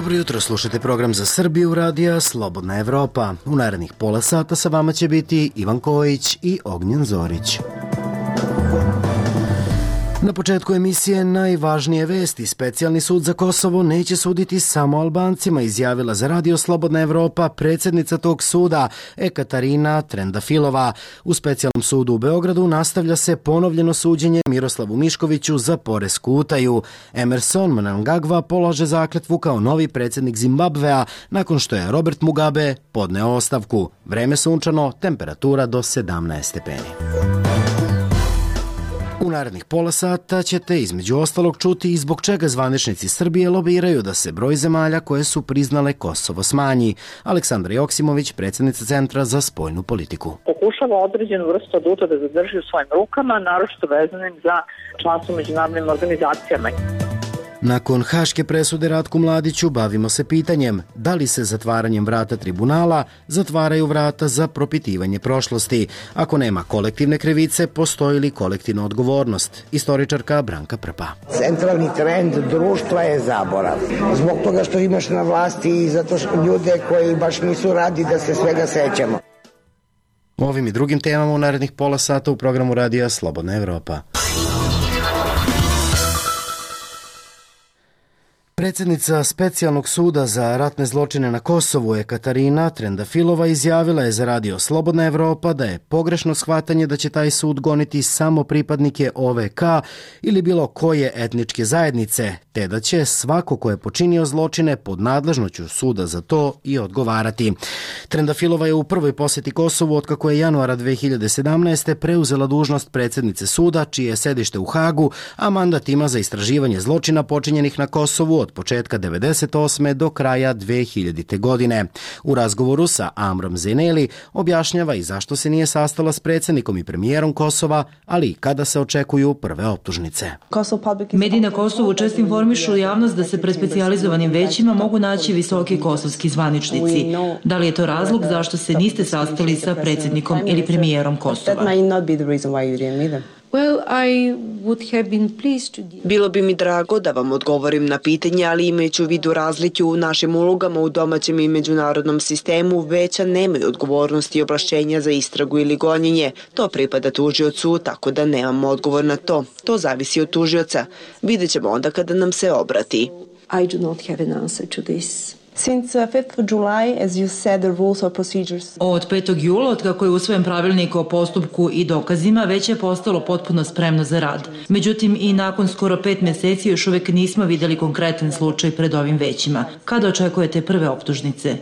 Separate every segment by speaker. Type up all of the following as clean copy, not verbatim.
Speaker 1: Dobro jutro, slušajte program za Srbiju radija Slobodna Evropa. U narednih pola sata sa vama će biti Ivan Kojić i Ognjen Zorić. Na početku emisije najvažnije vesti. Specijalni sud za Kosovo neće suditi samo Albancima, izjavila za radio Slobodna Evropa predsjednica tog suda Ekaterina Trendafilova. U specijalnom sudu u Beogradu nastavlja se ponovljeno suđenje Miroslavu Miškoviću za poresku utaju. Emerson Mnangagwa polaže zakletvu kao novi predsjednik Zimbabvea nakon što je Robert Mugabe podneo ostavku. Vreme sunčano, temperatura do 17 stepeni. U narednih pola sata ćete između ostalog čuti i zbog čega zvaničnici Srbije lobiraju da se broj zemalja koje su priznale Kosovo smanji. Aleksandra Joksimović, predsjednica Centra za spoljnu politiku.
Speaker 2: Pokušava određenu vrstu aduta da zadrži u svojim rukama, naročito vezanim za članstvo u međunarodnim organizacijama.
Speaker 1: Nakon haške presude Ratku Mladiću bavimo se pitanjem da li se zatvaranjem vrata tribunala zatvaraju vrata za propitivanje prošlosti. Ako nema kolektivne krivice, postoji li kolektivna odgovornost? Istoričarka Branka Prpa.
Speaker 3: Centralni trend društva je zaborav. Zbog toga što imaš na vlasti i zato što ljude koji baš nisu radi da se svega sećamo.
Speaker 1: O ovim i drugim temama u narednih pola sata u programu radija Slobodna Evropa. Predsjednica Specijalnog suda za ratne zločine na Kosovu Ekaterina Trendafilova izjavila je za radio Slobodna Evropa da je pogrešno shvatanje da će taj sud goniti samo pripadnike OVK ili bilo koje etničke zajednice, te da će svako ko je počinio zločine pod nadležnošću suda za to i odgovarati. Trendafilova je u prvoj posjeti Kosovu otkako je januara 2017. preuzela dužnost predsjednice suda, čije je sedište u Hagu, a mandat ima za istraživanje zločina počinjenih na Kosovu od početka 1998. do kraja 2000. godine. U razgovoru sa Amrom Zeneli objašnjava i zašto se nije sastala s predsjednikom i premijerom Kosova, ali i kada se očekuju prve optužnice.
Speaker 4: Mediji na Kosovu često informišu javnost da se pred specijalizovanim većima mogu naći visoki kosovski zvaničnici. Da li je to razlog zašto se niste sastali sa predsjednikom ili premijerom Kosova?
Speaker 5: Bilo bi mi drago da vam odgovorim na pitanje, ali imajući u vidu razlike u našim ulogama u domaćem i međunarodnom sistemu, veća nemaju odgovornosti i ovlašćenja za istragu ili gonjenje. To pripada tužiocu, tako da nemamo odgovor na to. To zavisi od tužioca. Vidjet ćemo onda kada nam se obrati.
Speaker 4: Od 5. jula, otkako je usvojen pravilnik o postupku i dokazima, već je postalo potpuno spremno za rad. Međutim, i nakon skoro 5 mjeseci još uvijek nismo vidjeli konkretan slučaj pred ovim većima. Kada očekujete prve optužnice?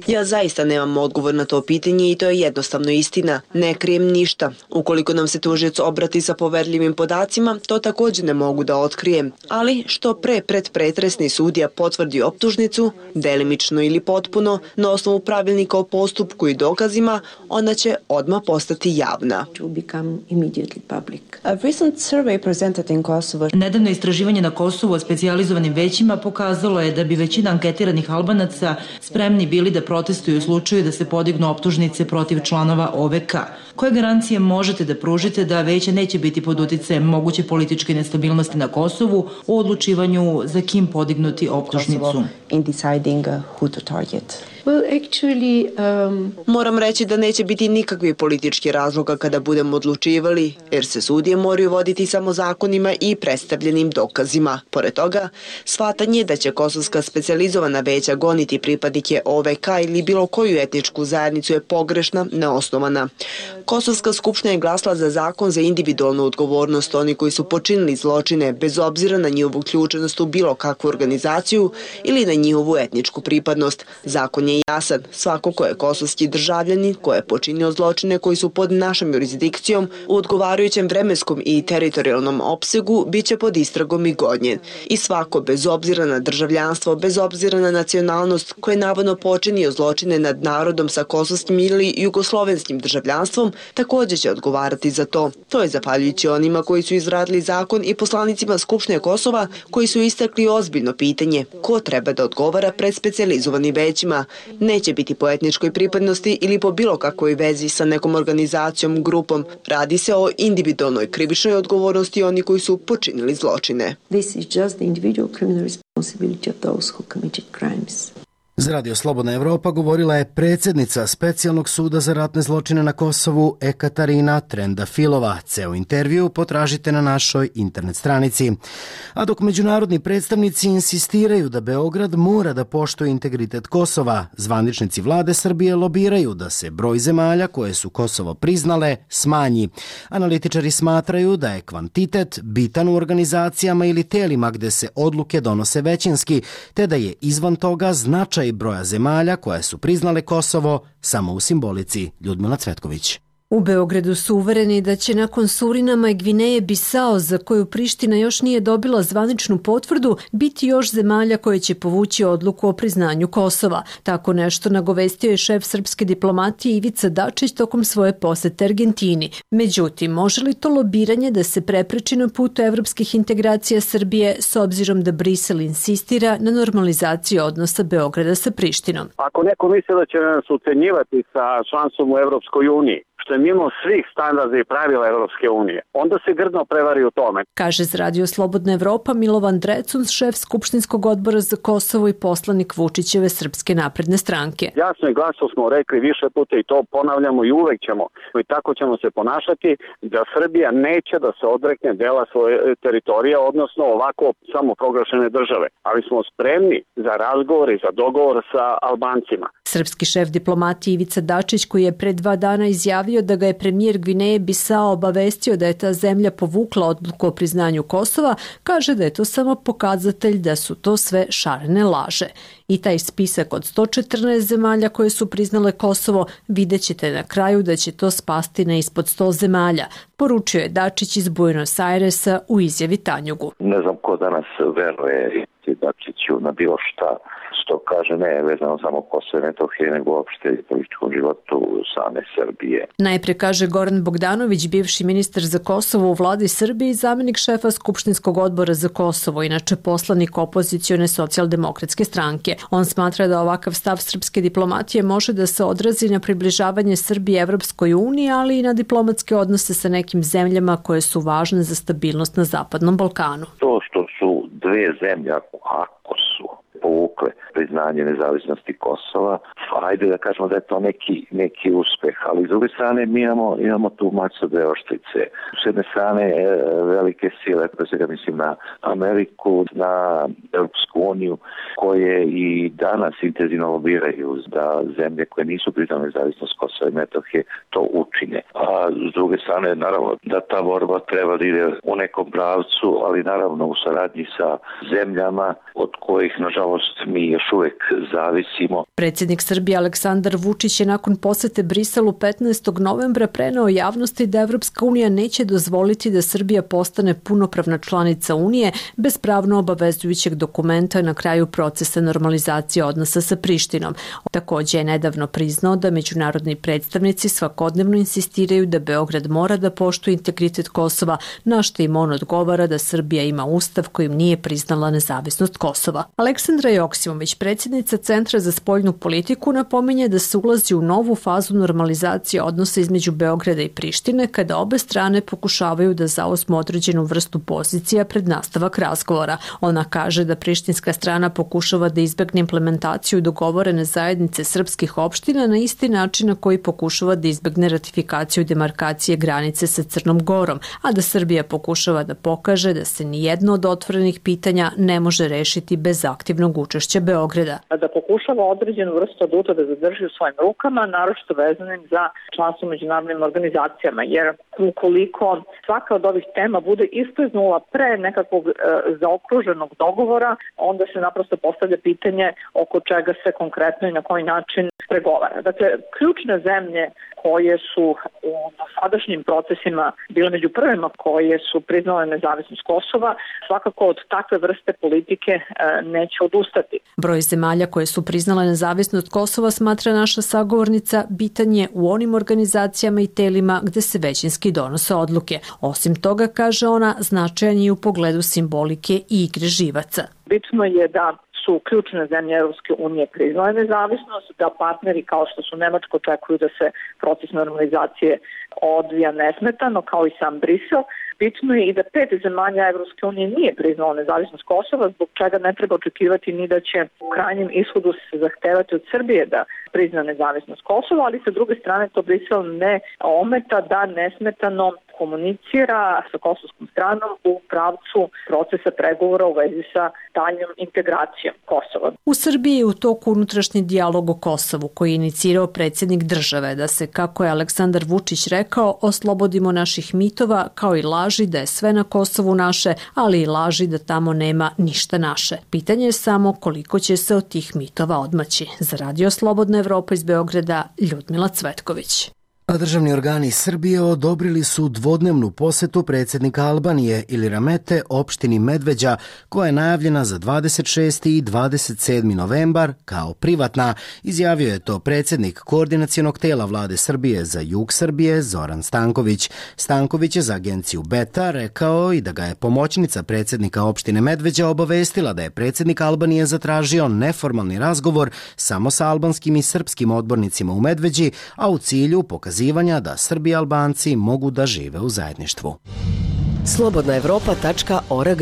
Speaker 5: Ja zaista nemam odgovor na to pitanje i to je jednostavno istina. Ne krijem ništa. Ukoliko nam se tužioc obrati sa poverljivim podacima, to također ne mogu da otkrijem. Ali što pre predpretresni sudija potvrdi optužnicu, delimično ili potpuno, na osnovu pravilnika o postupku i dokazima, ona će odmah postati javna.
Speaker 4: Nedavno istraživanje na Kosovu o specijalizovanim većima pokazalo je da bi većina anketiranih Albanaca spremni bili da protestuju u slučaju da se podignu optužnice protiv članova OVK. Koje garancije možete da pružite da veće neće biti pod uticajem moguće političke nestabilnosti na Kosovu u odlučivanju za kim podignuti optužnicu?
Speaker 5: Moram reći da neće biti nikakvi politički razloga kada budemo odlučivali, jer se sudije moraju voditi samo zakonima i predstavljenim dokazima. Pored toga, shvatanje da će kosovska specijalizovana veća goniti pripadnike OVK ili bilo koju etničku zajednicu je pogrešna, neosnovana. Kosovska skupština je glasala za zakon za individualnu odgovornost oni koji su počinili zločine bez obzira na njihovu uključenost u bilo kakvu organizaciju ili na njihovu etničku pripadnost. Zakon je jasan. Svako ko je kosovski državljanin, ko je počinio zločine koji su pod našom jurisdikcijom u odgovarajućem vremenskom i teritorijalnom opsegu bit će pod istragom i gonjen. I svako, bez obzira na državljanstvo, bez obzira na nacionalnost, ko je navodno počinio zločine nad narodom sa kosovskim ili jugoslovenskim državljanstvom, također će odgovarati za to. To je zahvaljujući onima koji su izradili zakon i poslanicima Skupštine Kosova koji su istakli ozbiljno pitanje ko treba da odgovara pred specijalizovanim većima. neće biti po etničkoj pripadnosti ili po bilo kakvoj vezi sa nekom organizacijom, grupom. Radi se o individualnoj krivičnoj odgovornosti oni koji su počinili zločine.
Speaker 6: This is just the individual criminal responsibility of those who committed crimes.
Speaker 1: Za Radio Slobodna Evropa govorila je predsjednica Specijalnog suda za ratne zločine na Kosovu Ekaterina Trendafilova. Ceo intervju potražite na našoj internet stranici. A dok međunarodni predstavnici insistiraju da Beograd mora da poštuje integritet Kosova, zvaničnici vlade Srbije lobiraju da se broj zemalja koje su Kosovo priznale smanji. Analitičari smatraju da je kvantitet bitan u organizacijama ili telima gde se odluke donose većinski, te da je izvan toga značaj broja zemalja koje su priznale Kosovo samo u simbolici. Ljudmila Cvetković.
Speaker 7: U Beogradu su uvereni da će nakon Surinama i Gvineje Bisao, za koju Priština još nije dobila zvaničnu potvrdu, biti još zemalja koje će povući odluku o priznanju Kosova. Tako nešto nagovestio je šef srpske diplomatije Ivica Dačić tokom svoje posete Argentini. Međutim, može li to lobiranje da se prepreči na putu evropskih integracija Srbije s obzirom da Brisel insistira na normalizaciji odnosa Beograda sa Prištinom?
Speaker 8: Ako neko misli da će nas ucenjivati sa članstvom u Evropskoj uniji, što je mimo svih standarda i pravila Evropske unije, onda se grdno prevari u tome.
Speaker 7: Kaže za Radio Slobodna Evropa Milovan Drecuns, šef Skupštinskog odbora za Kosovo i poslanik Vučićeve Srpske napredne stranke.
Speaker 8: Jasno i glasno smo rekli više puta i to ponavljamo i uvek ćemo. I tako ćemo se ponašati da Srbija neće da se odrekne dela svoje teritorije, odnosno ovako samoproglašene države. Ali smo spremni za razgovor i za dogovor sa Albancima.
Speaker 7: Srpski šef diplomatije Ivica Dačić, koji je pre 2 dana izjavio da ga je premijer Gvineje Bisao obavestio da je ta zemlja povukla odluku o priznanju Kosova, kaže da je to samo pokazatelj da su to sve šarene laže. I taj spisak od 114 zemalja koje su priznale Kosovo, vidjet ćete na kraju da će to spasti na ispod 100 zemalja, poručio je Dačić iz Buenos Airesa u izjavi Tanjugu.
Speaker 9: Ne znam ko danas veruje Dačiću na bilo šta što kaže ne vezano samo Kosovo i Metohije, nego uopšte i političkom životu same Srbije.
Speaker 7: Najpre kaže Goran Bogdanović, bivši ministar za Kosovo u vladi Srbije i zamenik šefa Skupštinskog odbora za Kosovo, inače poslanik opozicione socijaldemokratske stranke. On smatra da ovakav stav srpske diplomatije može da se odrazi na približavanje Srbije Evropskoj uniji, ali i na diplomatske odnose sa nekim zemljama koje su važne za stabilnost na Zapadnom Balkanu.
Speaker 9: To što su dve zemlje, ako su povukle priznanje nezavisnosti Kosova, ajde da kažemo da je to neki uspeh, ali s druge strane mi imamo tu mač sa dve oštrice. S jedne strane velike sile, pre svega mislim na Ameriku, na Europsku uniju, koje i danas intenzivno lobiraju da zemlje koje nisu priznale nezavisnost Kosova i Metohije to učine. A s druge strane, naravno, da ta borba treba da ide u nekom pravcu, ali naravno u saradnji sa zemljama od kojih, nažalost, mi još uvek zavisimo.
Speaker 7: Predsjednik Srbije Aleksandar Vučić je nakon posete Briselu 15. novembra preneo javnosti da Evropska unija neće dozvoliti da Srbija postane punopravna članica Unije bez pravno obavezujućeg dokumenta na kraju procesa normalizacije odnosa sa Prištinom. Takođe je nedavno priznao da međunarodni predstavnici svakodnevno insistiraju da Beograd mora da poštuje integritet Kosova, na što im on odgovara da Srbija ima ustav kojim nije priznala nezavisnost Kosova. Aleksandra Joksimović, predsjednica Centra za spoljnu politiku, napominje da se ulazi u novu fazu normalizacije odnosa između Beograda i Prištine kada obe strane pokušavaju da zauzmu određenu vrstu pozicija pred nastavak razgovora. Ona kaže da prištinska strana pokušava da izbegne implementaciju dogovorene zajednice srpskih opština na isti način na koji pokušava da izbegne ratifikaciju demarkacije granice sa Crnom Gorom, a da Srbija pokušava da pokaže da se nijedno od otvorenih pitanja ne može rešiti bez aktivnog učešća Beograda.
Speaker 2: Da pokušava određenu vrstu aduta da zadrži u svojim rukama, naročito vezanim za članstvo u međunarodnim organizacijama, jer ukoliko svaka od ovih tema bude iskliznula pre nekakvog zaokruženog dogovora, onda se naprosto postavlja pitanje oko čega se konkretno i na koji način pregovara. Dakle, ključne zemlje koje su u dosadašnjim procesima bile među prvima koje su priznale nezavisnost Kosova, svakako od takve vrste politike neće odustati.
Speaker 7: Broj zemalja koje su priznale nezavisnost Kosova, smatra naša sagovornica, bitan je u onim organizacijama i telima gde se većinski donose odluke. Osim toga, kaže ona, značajan je u pogledu simbolike i igre živaca.
Speaker 2: Bitno je da su ključne zemlje Europske unije priznale nezavisnost, da partneri kao što su Nemačka očekuju da se proces normalizacije odvija nesmetano, kao i sam Brisel. Bitno je i da 5 zemalja Evropske unije nije priznalo nezavisnost Kosova, zbog čega ne treba očekivati ni da će u krajnjem ishodu se zahtevati od Srbije da prizna nezavisnost Kosova, ali sa druge strane to Brisel ne ometa da nesmetano komunicira sa kosovskom stranom u pravcu procesa pregovora u vezi sa daljnjom integracijom Kosova.
Speaker 7: U Srbiji je u toku unutrašnji dijalog o Kosovu koji je inicirao predsjednik države da se, kako je Aleksandar Vučić rekao, oslobodimo naših mitova kao i laži da je sve na Kosovu naše, ali i laži da tamo nema ništa naše. Pitanje je samo koliko će se od tih mitova odmaći. Za Radio Slobodna Evropa iz Beograda, Ljudmila Cvetković.
Speaker 1: A državni organi Srbije odobrili su dvodnevnu posetu predsjednika Albanije Ili Ramete opštini Medveđa, koja je najavljena za 26. i 27. novembar kao privatna. Izjavio je to predsjednik koordinacionog tela vlade Srbije za jug Srbije Zoran Stanković. Stanković je za agenciju Beta rekao i da ga je pomoćnica predsjednika opštine Medveđa obavestila da je predsjednik Albanije zatražio neformalni razgovor samo sa albanskim i srpskim odbornicima u Medveđi, a u cilju pokazivanja da Srbi i Albanci mogu da žive u zajedništvu.
Speaker 10: slobodnaevropa.org.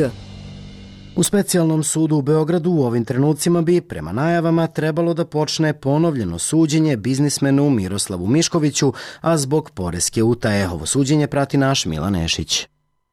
Speaker 1: U specijalnom sudu u Beogradu u ovim trenucima bi, prema najavama, trebalo da počne ponovljeno suđenje biznismenu Miroslavu Miškoviću, a zbog poreske utaje. Ovo suđenje prati naš Milan Nešić.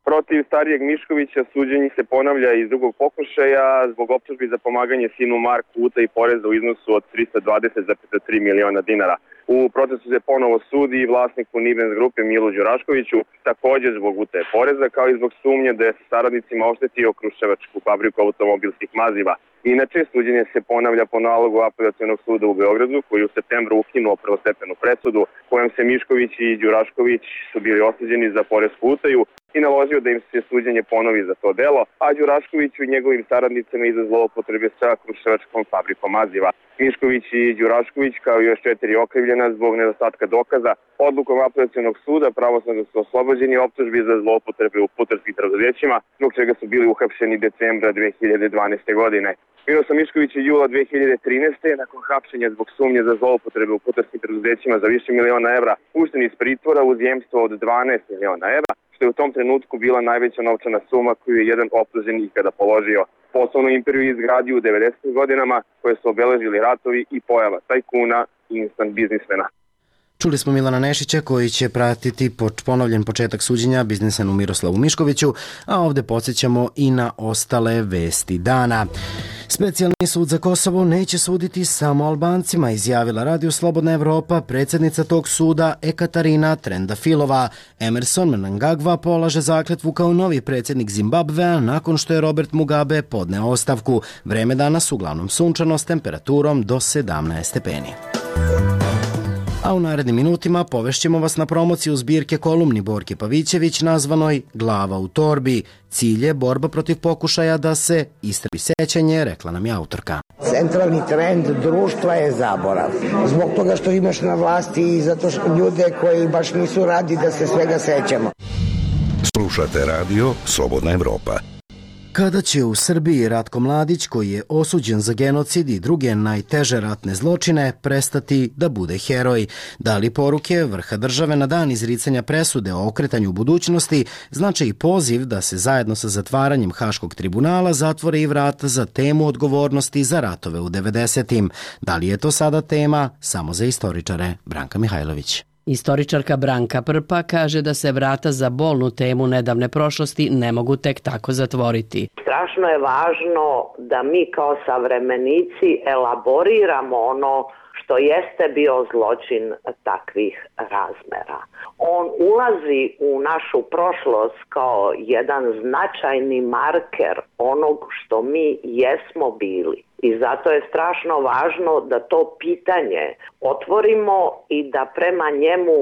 Speaker 11: Protiv starijeg Miškovića suđenje se ponavlja iz drugog pokušaja zbog optužbi za pomaganje sinu Marku utaji poreza u iznosu od 320,3 miliona dinara. U procesu se ponovo sudi i vlasniku Nibens grupe Milu Đuraškoviću, također zbog utaje poreza, kao i zbog sumnje da je sa saradnicima oštetio Kruševačku fabriku automobilskih maziva. Inače, suđenje se ponavlja po nalogu Apelacionog suda u Beogradu, koji u septembru ukinuo prvostepenu presudu, kojom se Mišković i Đurašković su bili osuđeni za poresku utaju i naložio da im se suđenje ponovi za to delo, a Đuraškoviću i njegovim saradnicima i za zloupotrebe sa Kruševačkom fabrikom maziva. Mišković i Đurašković, kao i još 4 okrivljena zbog nedostatka dokaza, odlukom Apelacionog suda pravosnažno su oslobođeni optužbi za zloupotrebe u putarskim preduzećima, zbog čega su bili uhapšeni decembra 2012. godine. Miroslav Mišković je jula 2013. nakon hapšenja zbog sumnje za zloupotrebe u putarskim preduzećima za više miliona evra pušten iz pritvora uz jemstvo od 12 miliona evra, što je u tom trenutku bila najveća novčana suma koju je jedan optuženi ikada položio. Poslovnu imperiju izgradio u 90. godinama koje su obeležili ratovi i pojava tajkuna i instant biznismena.
Speaker 1: Čuli smo Milana Nešića koji će pratiti ponovljen početak suđenja biznismenu Miroslavu Miškoviću, a ovdje podsjećamo i na ostale vesti dana. Specijalni sud za Kosovo neće suditi samo Albancima, izjavila Radio Slobodna Evropa predsjednica tog suda Ekaterina Trendafilova. Emerson Mnangagwa polaže zakletvu kao novi predsjednik Zimbabvea nakon što je Robert Mugabe podneo ostavku. Vreme danas uglavnom sunčano s temperaturom do 17 stepeni. A u narednim minutima povešćemo vas na promociju zbirke kolumni Borke Pavićević nazvanoj Glava u torbi. Cilj je borba protiv pokušaja da se istrebi sećanje, rekla nam je autorka.
Speaker 3: Centralni trend društva je zaborav. Zbog toga što imaš na vlasti i zato što ljude koji baš nisu radi da se svega sećamo.
Speaker 12: Slušate radio Slobodna Evropa.
Speaker 1: Kada će u Srbiji Ratko Mladić, koji je osuđen za genocid i druge najteže ratne zločine, prestati da bude heroj? Da li poruke vrha države na dan izricanja presude o okretanju budućnosti znači i poziv da se zajedno sa zatvaranjem Haškog tribunala zatvore i vrata za temu odgovornosti za ratove u 90-im? Da li je to sada tema samo za istoričare? Branka Mihajlović.
Speaker 13: Istoričarka Branka Prpa kaže da se vrata za bolnu temu nedavne prošlosti ne mogu tek tako zatvoriti.
Speaker 14: Strašno je važno da mi kao savremenici elaboriramo ono što jeste bio zločin takvih razmera. On ulazi u našu prošlost kao jedan značajni marker onog što mi jesmo bili. I zato je strašno važno da to pitanje otvorimo i da prema njemu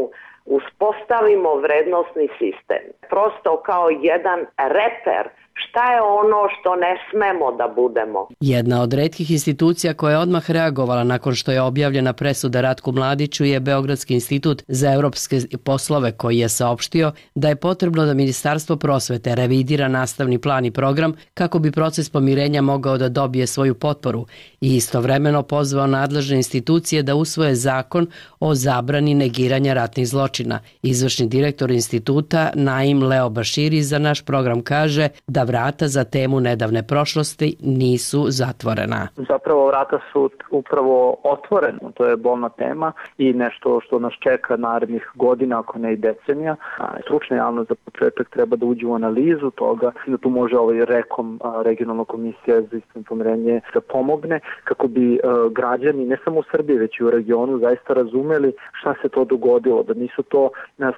Speaker 14: uspostavimo vrednosni sistem. Prosto kao jedan reper šta je ono što ne smemo da budemo.
Speaker 13: Jedna od retkih institucija koja je odmah reagovala nakon što je objavljena presuda Ratku Mladiću je Beogradski institut za evropske poslove, koji je saopštio da je potrebno da Ministarstvo prosvete revidira nastavni plan i program kako bi proces pomirenja mogao da dobije svoju potporu i istovremeno pozvao nadležne institucije da usvoje zakon o zabrani negiranja ratnih zločina. Izvršni direktor instituta Naim Leo Baširi za naš program kaže da vrata za temu nedavne prošlosti nisu zatvorena.
Speaker 10: Zapravo vrata su upravo otvorena, to je bolna tema i nešto što nas čeka narednih godina, ako ne i decenija. Stručna javnost za početak treba da uđe u analizu toga, da tu može REKOM, regionalna komisija za istinito pomirenje, da pomogne kako bi građani, ne samo u Srbiji, već i u regionu, zaista razumeli šta se to dogodilo, da nisu to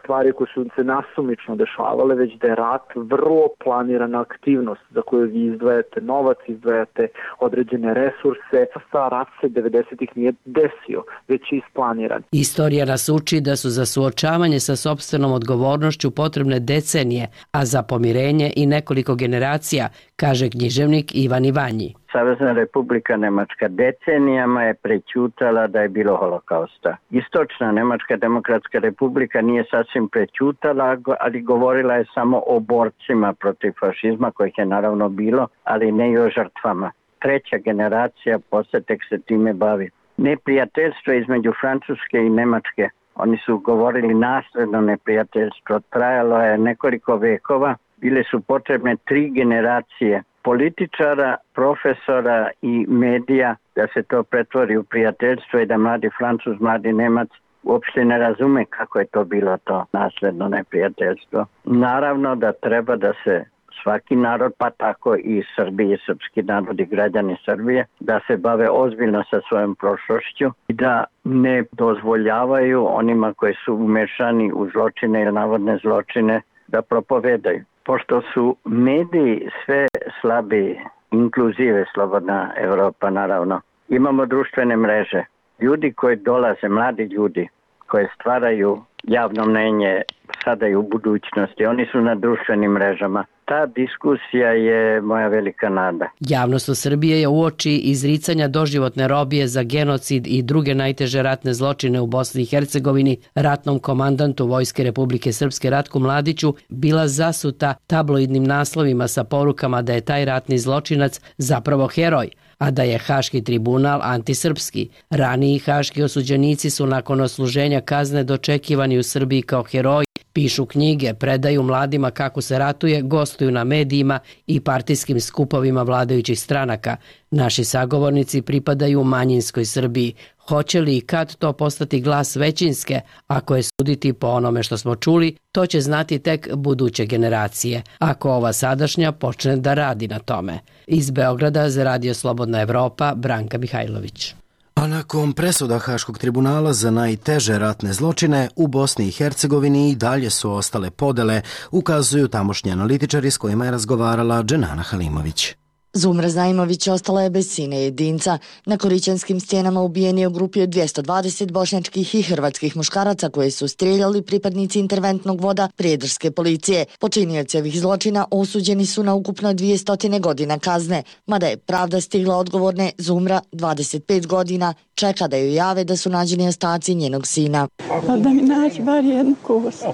Speaker 10: stvari koje su se nasumično dešavale, već da je rat vrlo planirana aktivnost za koju vi izdvajate novac, izdvajate određene resurse. Rat se 90-ih nije desio, već je isplaniran.
Speaker 13: Istorija nas uči da su za suočavanje sa sopstvenom odgovornošću potrebne decenije, a za pomirenje i nekoliko generacija, kaže književnik Ivan Ivanji.
Speaker 15: Savezna Republika Nemačka decenijama je prećutala da je bilo holokausta. Istočna Nemačka demokratska republika nije sasvim prećutala, ali govorila je samo o borcima protiv fašizma, kojih je naravno bilo, ali ne i o žrtvama. Treća generacija posle tek se time bavi. Neprijateljstvo između Francuske i Nemačke. Oni su govorili nasledno neprijateljstvo. Trajalo je nekoliko vekova. Bile su potrebne 3 generacije političara, profesora i medija da se to pretvori u prijateljstvo i da mladi Francuz, mladi Nemac uopšte ne razume kako je to bilo to nasledno neprijateljstvo. Naravno da treba da se svaki narod, pa tako i Srbije, srpski narod i građani Srbije, da se bave ozbiljno sa svojom prošlošću i da ne dozvoljavaju onima koji su umešani u zločine ili navodne zločine da propovedaju. Pošto su mediji sve slabi, inkluzive slobodna Evropa naravno, imamo društvene mreže. Ljudi koji dolaze, mladi ljudi koji stvaraju javno mnenje sada i u budućnosti, oni su na društvenim mrežama. Ta diskusija je moja velika nada.
Speaker 13: Javnost u Srbiji je uoči izricanja doživotne robije za genocid i druge najteže ratne zločine u Bosni i Hercegovini ratnom komandantu Vojske Republike Srpske Ratku Mladiću bila zasuta tabloidnim naslovima sa porukama da je taj ratni zločinac zapravo heroj, a da je Haški tribunal antisrpski. Raniji haški osuđenici su nakon odsluženja kazne dočekivani u Srbiji kao heroji, pišu knjige, predaju mladima kako se ratuje, gostuju na medijima i partijskim skupovima vladajućih stranaka. Naši sagovornici pripadaju manjinskoj Srbiji. Hoće li i kad to postati glas većinske? Ako je suditi po onome što smo čuli, to će znati tek buduće generacije, ako ova sadašnja počne da radi na tome. Iz Beograda za Radio Slobodna Evropa, Branka Mihajlović.
Speaker 1: A nakon presuda Haškog tribunala za najteže ratne zločine u Bosni i Hercegovini i dalje su ostale podele, ukazuju tamošnji analitičari s kojima je razgovarala Dženana Halimović.
Speaker 16: Zumra Zajmović ostala je bez sina jedinca. Na Korićanskim stijenama ubijen je u grupi od 220 bošnjačkih i hrvatskih muškaraca koje su strijeljali pripadnici interventnog voda prijedorske policije. Počinioci ovih zločina osuđeni su na ukupno 200 godina kazne. Mada je pravda stigla odgovorne, Zumra, 25 godina, čeka da joj jave da su nađeni ostaci njenog sina.
Speaker 17: Pa da mi naći bar jednu kost,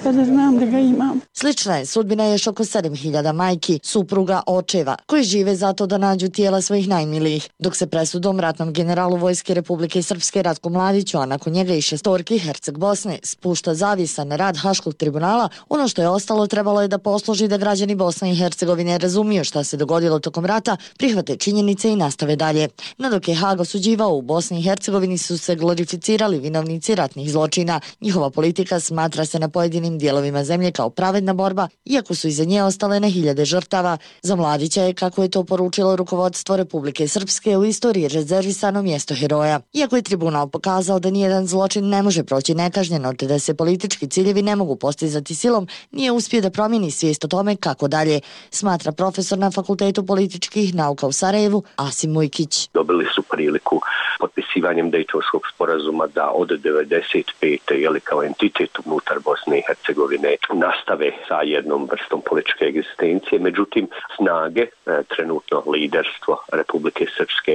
Speaker 17: pa da znam da ga imam.
Speaker 16: Slična je sudbina još oko 7000 majki, supruga, očeva, koji žive zato da nađu tijela svojih najmilijih, dok se presudom ratnom generalu Vojske Republike Srpske Ratku Mladiću, a nakon njega i 6 Herceg Bosne, spušta zavjesa na rad Haškog tribunala, ono što je ostalo trebalo je da posluži da građani Bosne i Hercegovine razumiju šta se dogodilo tokom rata, prihvate činjenice i nastave dalje. No dok je Hag osuđivao, u Bosni i Hercegovini su se glorificirali vinovnici ratnih zločina. Njihova politika smatra se na pojedinim dijelovima zemlje kao pravedna borba, iako su iza nje ostale na hiljade žrtava. Za Mladića je, kako je to poručilo rukovodstvo Republike Srpske, u istoriji rezervisano mjesto heroja. Iako je tribunal pokazao da nijedan zločin ne može proći nekažnjeno, te da se politički ciljevi ne mogu postizati silom, nije uspio da promijeni svijest o tome kako dalje, smatra profesor na Fakultetu političkih nauka u Sarajevu Asim Mujkić.
Speaker 18: Dobili su priliku potpisivanjem Dejtonskog sporazuma da od 95. Kao entitet unutar Bosne i Hercegovine nastave sa jednom vrstom političke egzistencije. Međutim, snage, trenutno liderstvo Republike Srpske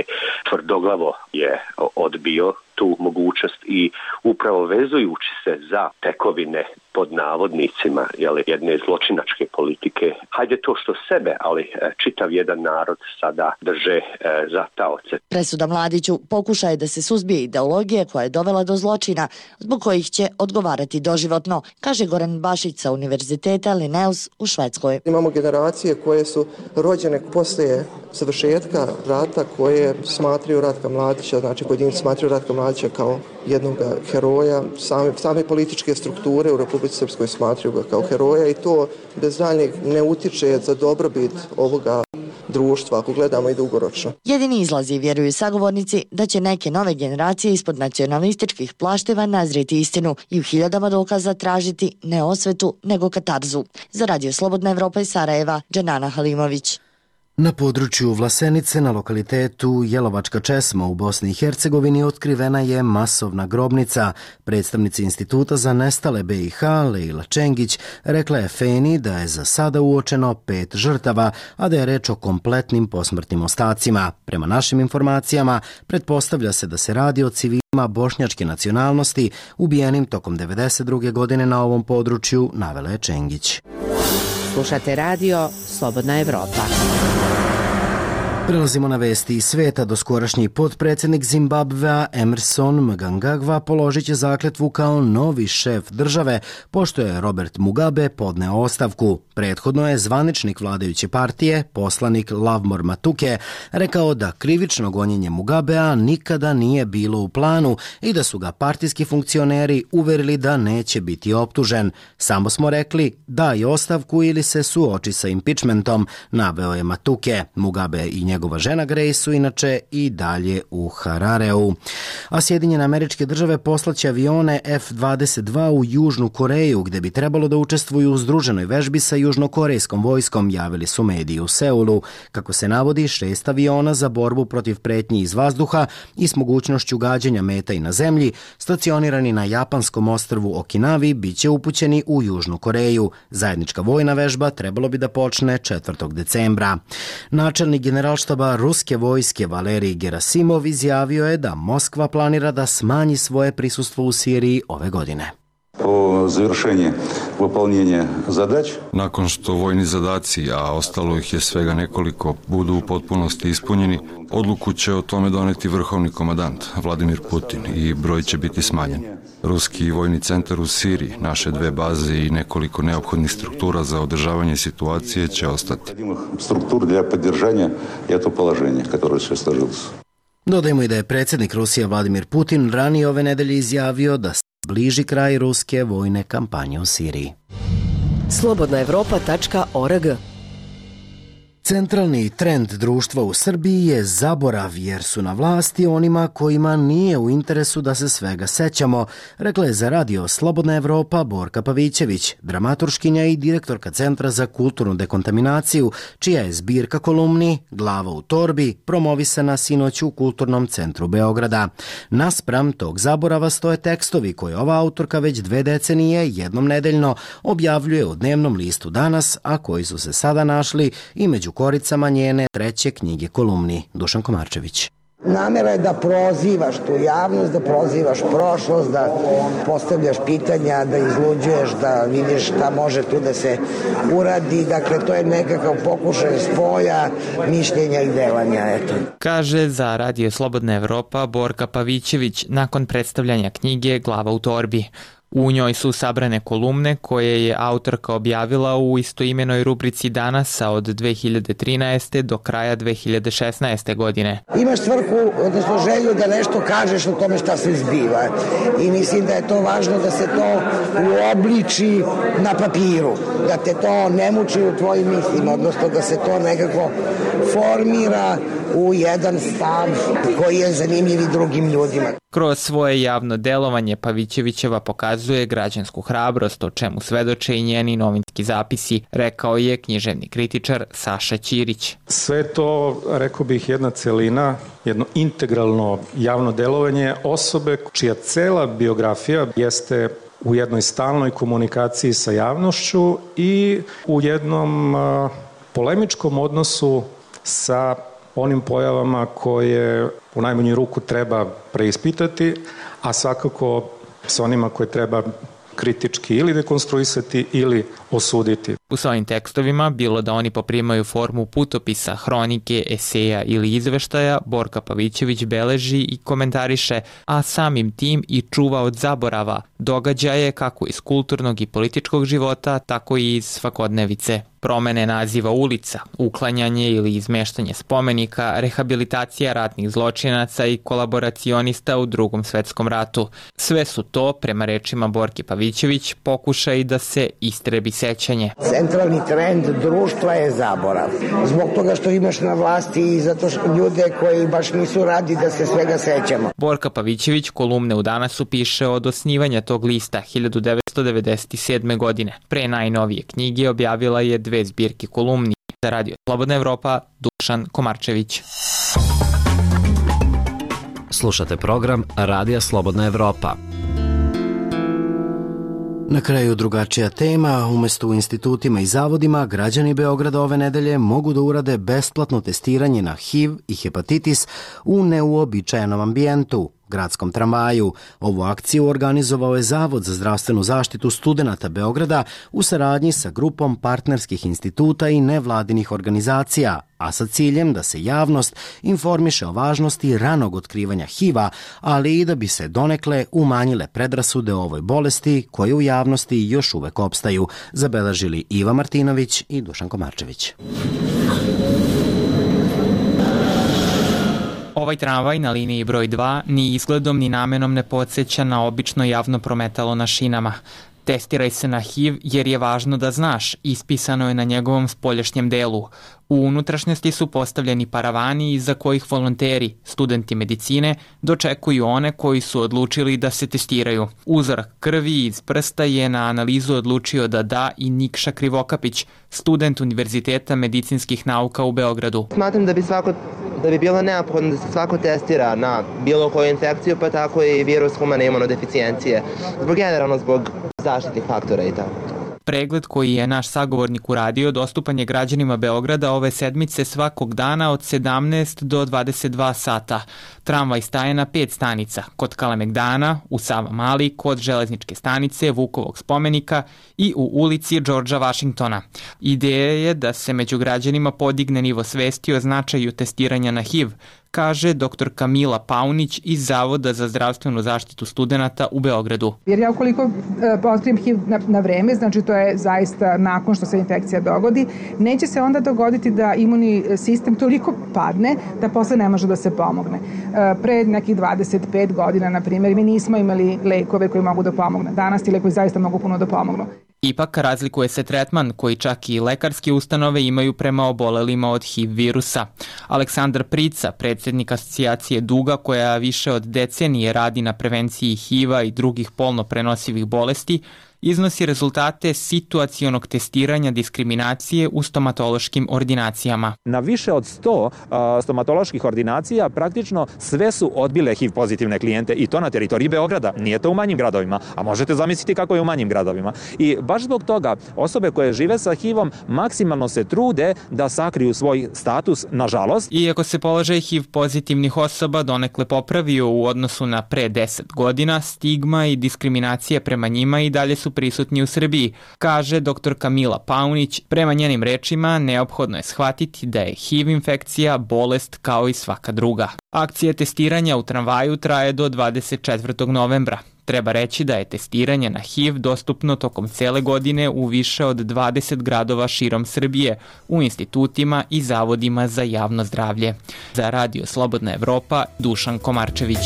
Speaker 18: tvrdoglavo je odbio tu mogućnost i upravo vezujući se za tekovine pod navodnicima jedne zločinačke politike, hajde to što sebe, ali čitav jedan narod sada drže za taoce.
Speaker 16: Presuda Mladiću pokušaj je da se suzbije ideologija koja je dovela do zločina, zbog kojih će odgovarati doživotno, kaže Goran Bašić sa Univerziteta Linnaeus u Švedskoj.
Speaker 19: Imamo generacije koje su rođene poslije završetka rata, koje smatraju Ratka Mladića, znači pojedinci smatraju Ratka Mladića kao jednog heroja, same političke strukture u Republici Srpskoj smatraju ga kao heroja i to bez daljnjeg ne utiče za dobrobit ovoga društva, ako gledamo i dugoročno.
Speaker 16: Jedini izlazi, vjeruju sagovornici, da će neke nove generacije ispod nacionalističkih plašteva nazrijeti istinu i u hiljadama dokaza tražiti ne osvetu, nego katarzu. Za Radio Slobodna Evropa iz Sarajeva, Dženana Halimović.
Speaker 1: Na području Vlasenice, na lokalitetu Jelovačka česma u Bosni i Hercegovini, otkrivena je masovna grobnica. Predstavnici Instituta za nestale BiH, Lejla Čengić, rekla je Feni da je za sada uočeno 5 žrtava, a da je reč o kompletnim posmrtnim ostacima. Prema našim informacijama, pretpostavlja se da se radi o civilima bošnjačke nacionalnosti ubijenim tokom 1992. godine na ovom području, navela je Čengić.
Speaker 20: Slušate radio Slobodna Evropa.
Speaker 1: Prelazimo na vesti iz sveta. Doskorašnji potpredsjednik Zimbabvea Emerson Mnangagwa položit će zakletvu kao novi šef države, pošto je Robert Mugabe podneo ostavku. Prethodno je zvaničnik vladajuće partije, poslanik Lovemore Matuke, rekao da krivično gonjenje Mugabea nikada nije bilo u planu i da su ga partijski funkcioneri uverili da neće biti optužen. Samo smo rekli daj ostavku ili se suoči sa impeachmentom, naveo je Matuke. Mugabe i njegova žena Grace su inače i dalje u Harareu. A Sjedinjene Američke Države poslaće avione F-22 u Južnu Koreju, gde bi trebalo da učestvuju u združenoj vežbi sa južnokorejskom vojskom, javili su mediji u Seulu. Kako se navodi, 6 aviona za borbu protiv pretnji iz vazduha i s mogućnošću gađanja meta i na zemlji, stacionirani na japanskom ostrvu Okinavi, bit će upućeni u Južnu Koreju. Zajednička vojna vežba trebalo bi da počne 4. decembra. Načelnik generalštaba ruske vojske Valerij Gerasimov izjavio je da Moskva planira da smanji svoje prisustvo u Siriji ove godine.
Speaker 21: Po završenju vyplnjenja zadaća.
Speaker 22: Nakon što vojni zadaci, a ostalo ih je svega nekoliko, budu u potpunosti ispunjeni, odluku će o tome doneti vrhovni komandant Vladimir Putin i broj će biti smanjen. Ruski vojni centar u Siriji, naše 2 baze i nekoliko neophodnih struktura za održavanje situacije će ostati.
Speaker 21: Struktur для поддержания этого положения, которое сейчас сложилось.
Speaker 1: Dodajmo i da je predsjednik Rusije Vladimir Putin ranije ove nedelje izjavio da bliži kraj ruske vojne kampanje u Siriji.
Speaker 20: Slobodnaevropa.org.
Speaker 1: Centralni trend društva u Srbiji je zaborav, jer su na vlasti onima kojima nije u interesu da se svega sećamo, rekla je za radio Slobodna Evropa Borka Pavićević, dramaturškinja i direktorka Centra za kulturnu dekontaminaciju, čija je zbirka kolumni Glava u torbi promovisana sinoć u Kulturnom centru Beograda. Naspram tog zaborava stoje tekstovi koje ova autorka već 2 decenije jednom nedeljno objavljuje u dnevnom listu Danas, a koji su se sada našli i među koricama njene 3. knjige kolumni. Dušan Komarčević.
Speaker 3: Namera je da prozivaš tu javnost, da prozivaš prošlost, da postavljaš pitanja, da izluđuješ, da vidiš šta može tu da se uradi. Dakle, to je nekakav pokušaj spoja mišljenja i delanja. Eto.
Speaker 23: Kaže za radio Slobodna Evropa Borka Pavićević nakon predstavljanja knjige Glava u torbi. U njoj su sabrane kolumne koje je autorka objavila u istoimenoj rubrici Danasa od 2013. do kraja 2016. godine.
Speaker 3: Imaš svrhu, odnosno želju da nešto kažeš o tome šta se zbiva i mislim da je to važno da se to uobliči na papiru, da te to ne muči u tvojim mislima, odnosno da se to nekako formira u jedan stav koji je zanimljiv i drugim ljudima.
Speaker 23: Kroz svoje javno delovanje Pavićevićeva pokazuje pokazuje građansku hrabrost, o čemu svedoče i njeni novinski zapisi, rekao je književni kritičar Saša Ćirić.
Speaker 4: Sve to, rekao bih, jedna celina, jedno integralno javno delovanje osobe čija cela biografija jeste u jednoj stalnoj komunikaciji sa javnošću i u jednom polemičkom odnosu sa onim pojavama koje u najmanju ruku treba preispitati, a svakako sa onima koje treba kritički ili dekonstruisati ili osuditi.
Speaker 23: U svojim tekstovima, bilo da oni poprimaju formu putopisa, hronike, eseja ili izveštaja, Borka Pavićević beleži i komentariše, a samim tim i čuva od zaborava događaje kako iz kulturnog i političkog života, tako i iz svakodnevice. Promene naziva ulica, uklanjanje ili izmeštanje spomenika, rehabilitacija ratnih zločinaca i kolaboracionista u Drugom svetskom ratu. Sve su to, prema rečima Borke Pavićević, pokušaj da se istrebi sećanje.
Speaker 3: Centralni trend društva je zaborav. Zbog toga što imaš na vlasti i zato što ljude koji baš nisu radi da se svega sećamo.
Speaker 23: Borka Pavićević kolumne u Danasu piše od osnivanja tog lista 1997. godine. Pre najnovije knjige objavila je 2 zbirke kolumni. Za Radio Slobodna Evropa, Dušan Komarčević.
Speaker 5: Slušate program Radija Slobodna Evropa.
Speaker 1: Na kraju drugačija tema, umesto u institutima i zavodima, građani Beograda ove nedelje mogu da urade besplatno testiranje na HIV i hepatitis u neuobičajenom ambijentu, gradskom tramvaju. Ovu akciju organizovao je Zavod za zdravstvenu zaštitu studenata Beograda u saradnji sa grupom partnerskih instituta i nevladinih organizacija, a sa ciljem da se javnost informiše o važnosti ranog otkrivanja HIV-a, ali i da bi se donekle umanjile predrasude o ovoj bolesti koje u javnosti još uvek opstaju, zabeležili Iva Martinović i Dušan Komarčević.
Speaker 23: Ovaj tramvaj na liniji broj 2 ni izgledom ni namenom ne podsjeća na obično javno prometalo na šinama. Testiraj se na HIV jer je važno da znaš, ispisano je na njegovom spoljašnjem delu. U unutrašnjosti su postavljeni paravani iza kojih volonteri, studenti medicine, dočekuju one koji su odlučili da se testiraju. Uzorak krvi iz prsta je na analizu odlučio da i Nikša Krivokapić, student Univerziteta medicinskih nauka u Beogradu.
Speaker 6: Smatram da bi bilo neophodno da se svako testira na bilo koju infekciju, pa tako i virus humane imunodeficijencije, zbog zaštitnih faktora i tako.
Speaker 23: Pregled koji je naš sagovornik uradio dostupan je građanima Beograda ove sedmice svakog dana od 17 do 22 sata. Tramvaj staje na 5 stanica, kod Kalemegdana, u Savamali, kod železničke stanice, Vukovog spomenika i u ulici Džordža Vašingtona. Ideja je da se među građanima podigne nivo svesti o značaju testiranja na HIV, kaže dr. Kamila Paunić iz Zavoda za zdravstvenu zaštitu studenata u Beogradu.
Speaker 24: Jer ja ukoliko otkrijem HIV na vreme, znači to je zaista nakon što se infekcija dogodi, neće se onda dogoditi da imunni sistem toliko padne da posle ne može da se pomogne. Pre nekih 25 godina, na primjer, mi nismo imali lekove koji mogu da pomogne. Danas ti lekovi zaista mogu puno da pomognu.
Speaker 23: Ipak razlikuje se tretman koji čak i lekarske ustanove imaju prema obolelima od HIV virusa. Aleksandar Prica, predsjednik asocijacije Duga koja više od decenije radi na prevenciji HIV-a i drugih polno prenosivih bolesti, iznosi rezultate situacionog testiranja diskriminacije u stomatološkim ordinacijama.
Speaker 25: Na više od 100 stomatoloških ordinacija praktično sve su odbile HIV pozitivne klijente i to na teritoriji Beograda. Nije to u manjim gradovima, a možete zamisliti kako je u manjim gradovima. I baš zbog toga osobe koje žive sa HIV-om maksimalno se trude da sakriju svoj status, nažalost.
Speaker 23: Iako se položaj HIV pozitivnih osoba donekle popravio u odnosu na pre 10 godina, stigma i diskriminacija prema njima i dalje su prisutni u Srbiji, kaže dr. Kamila Paunić. Prema njenim rečima, neophodno je shvatiti da je HIV infekcija bolest kao i svaka druga. Akcija testiranja u tramvaju traje do 24. novembra. Treba reći da je testiranje na HIV dostupno tokom cele godine u više od 20 gradova širom Srbije, u institutima i zavodima za javno zdravlje. Za Radio Slobodna Evropa, Dušan Komarčević.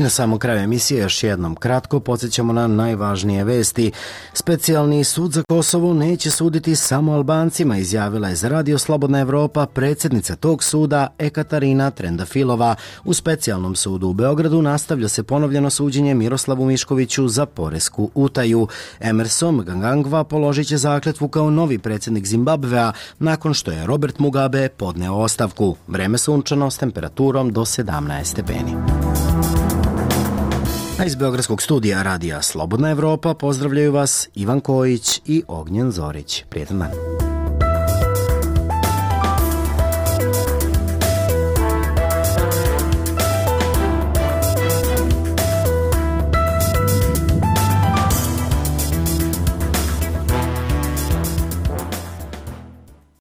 Speaker 1: I na samom kraju emisije još jednom kratko podsjećamo na najvažnije vesti. Specijalni sud za Kosovo neće suditi samo Albancima, izjavila je za Radio Slobodna Evropa predsjednica tog suda Ekaterina Trendafilova. U specijalnom sudu u Beogradu nastavlja se ponovljeno suđenje Miroslavu Miškoviću za poresku utaju. Emerson Mnangagwa položit će zakletvu kao novi predsjednik Zimbabvea nakon što je Robert Mugabe podneo ostavku. Vreme sunčano s temperaturom do 17 stepeni. A iz Beogradskog studija Radija Slobodna Evropa pozdravljaju vas Ivan Kojić i Ognjen Zorić. Prijetan dan.